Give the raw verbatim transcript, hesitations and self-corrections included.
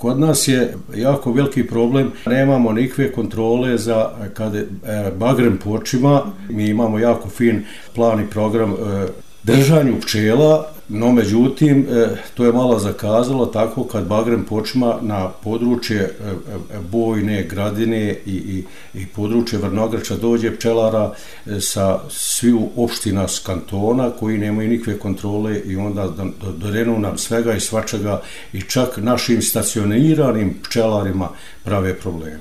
Kod nas je jako veliki problem, nemamo nikakve kontrole za kada bagrem počima, mi imamo jako fin plan i program držanju pčela, no međutim to je malo zakazalo tako kad bagrem počima na područje Bojne, Gradine i, i, i područje Vrnograča dođe pčelara sa sviju opština s kantona koji nemaju nikakve kontrole i onda dodenu nam svega i svačega i čak našim stacioniranim pčelarima prave probleme.